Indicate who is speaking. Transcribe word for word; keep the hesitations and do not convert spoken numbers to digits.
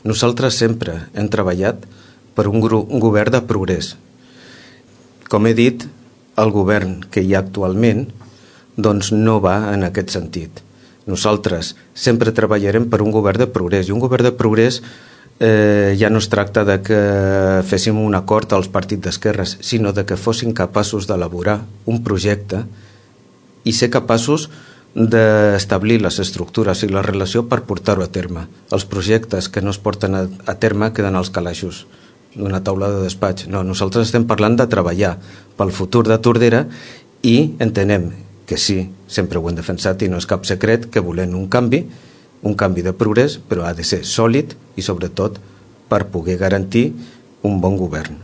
Speaker 1: Nosaltres sempre hem treballat per un, un govern de progrés. Com he dit, el govern que hi ha actualment doncs no va en aquest sentit. Nosaltres sempre treballarem per un govern de progrés, i un govern de progrés eh, ja no es tracta de que féssim un acord als partits d'esquerres, sinó de que fossin capaços d'elaborar un projecte i ser capaços d'establir les estructures i la relació per portar-ho a terme. Els projectes que no es porten a, a terme queden als calaixos d'una taula de despatx. No, nosaltres estem parlant de treballar pel futur de Tordera i entenem que sí, sempre ho hem defensat i no és cap secret que volem un canvi, un canvi de progrés, però ha de ser sòlid i sobretot per poder garantir un bon govern.